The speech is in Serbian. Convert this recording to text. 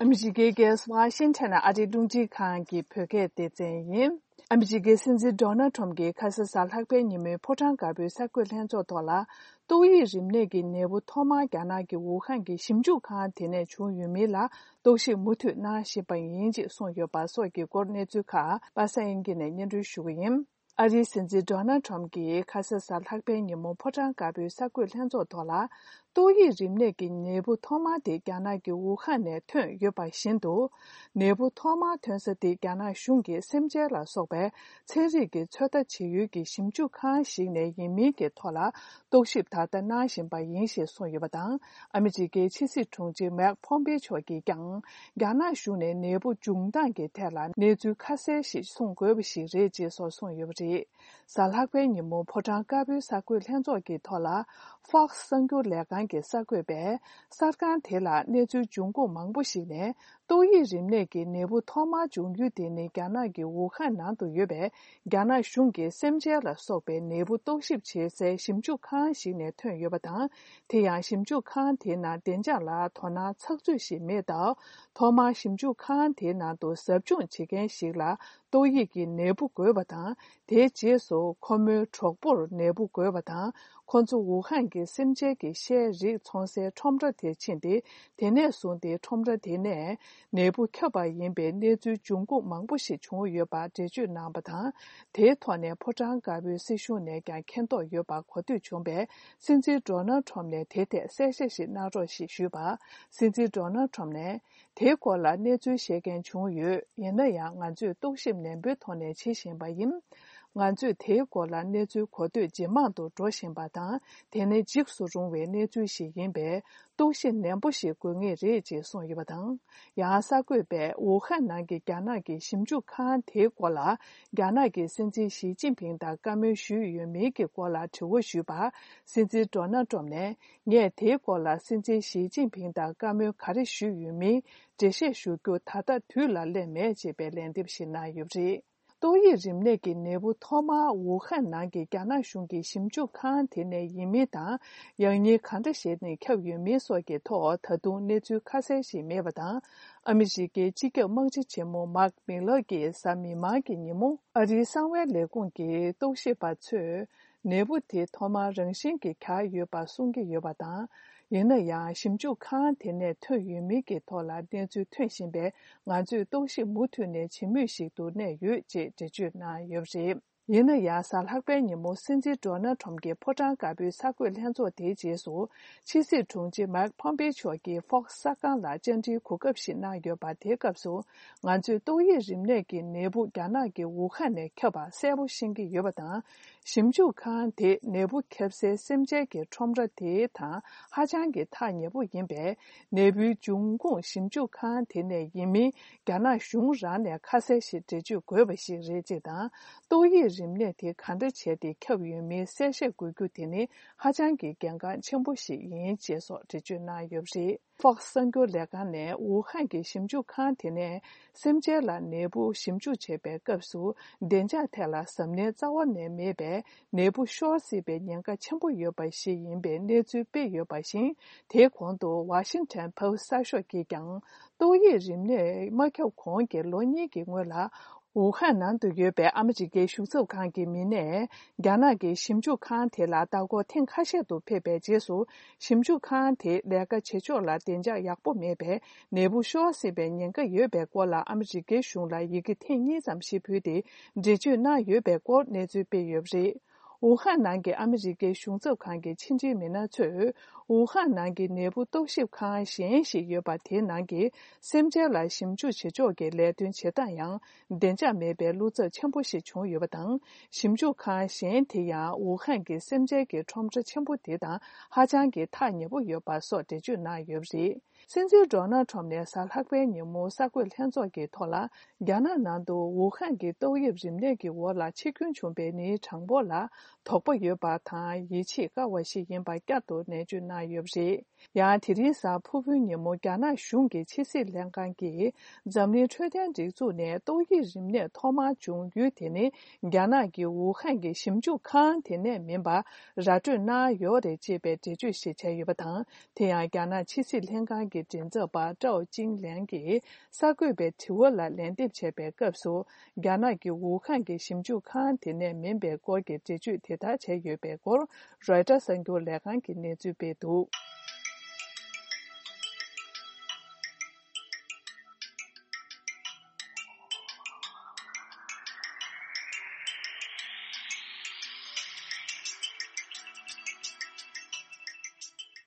Amjige ges Washington adidungji khan ki phege de yin. Amjige sinzi Donald Trump ge khasa salhakpe nyime potang kabe sakwe lenzo tola toyi rimne ge nebu thoma gyana ge Wuhan ge simju khan tene chu yumi la doshi mutu na shipa yinji son yo ba so ge korne zu kha basa ingi ne nyendru shugim. Adi sinzi Donald Trump ge khasa salhakpe nyimo potang kabe sakwe lenzo tola toyi rimne ge nebu thoma de gyana ge Wuhan ne thön yo ba shindu nebu thoma thönsa de gyana shungi semje la sokbe cheri ge choda chiyu ge simju khan shi ne yimi ge thola dokship ta da na shin ba yin she so yo ba dang amiji ge chisi chungji mak phombe cho ge gyang gyana shu ne nebu jungdan ge thela neju khase shi song go bi shi re je so song yo bi salhakwe nyimo photang ka bi sakwe lhenzo ge thola Fox Sangyo Legan ge sakwe be sarkan thela neju junggo mangbu shi ne toyi rimne ge nebu thoma jungyu de ne gyana ge Wuhan na do yebe gyana shung ge semje la sobe nebu toship che se simju khan shi ne thön yoba da te ya simju khan the na denja la thona chakju shi me da thoma simju khan the na do sabjun che gen shi la toyi ge nebu go ba da de je so khomu chokbor nebu go ba da konzu Wuhan ge semje ge she ri chongse chomra de chinde dene sun de chomra dene 내부 켜바 인베 내주 중국 망부시 중요바 제주 남바다 대토네 포장가비 시슈네 간 켄도 요바 고드 중베 신지 도널드 트럼네 대대 세세시 나로시 슈바 신지 도널드 트럼네 대고라 내주 세겐 중요 옛날야 안주 도심네 베토네 치신바임 안주 대고라 내주 고드 지망도 조신바다 대내 직수 중외 내주시 인베 도신 nembushi gungye reje song yibadang yasa gube Wuhan nangi gyana gi simju khan te gola gyana gi sinji Xi Jinping da game shu yu me ge gola chuo shu ba sinji Donald Trump ne nge te gola sinji Xi Jinping da game khari shu yu me je she shu go ta da tu la le me je be len dip shi na yubri toyi rimne ge nebu thoma Wuhan nangi gyana shungi simju khan tene yimita yangi khanda she ne kyab yu me so ge to thadu neju khase shi me bada amiji ge jige mangji chemo mak milo ge sami ma ge nimu ari sangwe le gung ge doshi ba chu nebu te thoma rengshin ge kha yu ba sung ge yu bada yenaya simju khan tene thö yu me ge thola neju thönshin be ngaju doshi mutu ne chimyu shi du ne yu je ju na yobji yenaya salhakbe nyimo sinji Donald Trump ge potang gabi sakwe lhenzo de jesu chisi chungji mak phombe cho ge Fox sakang la jenji kugap shin na yoba de gapsu ngaju doyi rimne ge nebu gyana ge Wuhan ne kyoba sebu shingi yobada 심주 칸데 내부 캡세 semje 첨라 데이터 하장게 타 내부 인베 내부 중공 심주 칸데 내 이미 가나 슝라네 카세시 제주 고베시 레제다 또이 림네 데 칸데 체데 켜위미 세세 구구데니 하장게 경간 첨부시 인제소 제주나 옆시 Fox Sangyo Legan Wuhan ge simju khan tene semje la nebu simju chebe kapsu denja thela samne zawa ne mebe nebu shorsi be nyanga chenbu yo ba shi yinbe neju be yo ba shin de kwangdo Washington Post sa sho ge gyang do yi rimne ma kyo khong ge lo ni ge ngwa Wuhan nan du yue be amji ge shu zhou kan ge min ne gyana ge simju khan the la da go ten kha she du pe be je su simju khan the le ga che cho la den ja yak bo me be ne bu sho se be nyen ge yue be ko la amji ge shung la yi ge ten ni zam shi phu de je ju na yue be ko ne zu be yue ji Wuhan nan ge amji ge shung zhou kan ge qin ji min na chu Wuhan nan ge nebu doship khan xian xi yue ba tie nan ge semje la simju che jo ge le dun che dan yang denja me be lu zhe qianbu xi chung yue ba dang simju khan xian tie ya Wuhan ge semje ge chom zhe qianbu de da ha jiang ge ta ne bu yue ba so de ju na yue ji Sinzi Donald Trump ne salhakbe nimu sakwe lhenzo ge thola gyana nandu Wuhan ge doyib rimne ge wo la chikyun chumbe ni changbo la thokbo yue ba ta yi chi ga wa shi yin ba gya do ne ju na yue ji ya tiri sa phubu nimu gyana shung ge chi si lengkan ge zamni chöden ji zu ne doyib rimne thoma chung yu de ne gyana ge Wuhan ge simju khan de ne min ba ra ju na yo de ji be ji ju shi che yu ba ta te ya gyana chi si lengkan ge ki jinzo ba zhao jing liang ki sakwe be tiwa la lendip che be kapsu Ghana ki Wuhan ki Shimju Khan tine minbe kor ki jeju teta che yu be kor Reuters sangyo lekan ki nezu be du.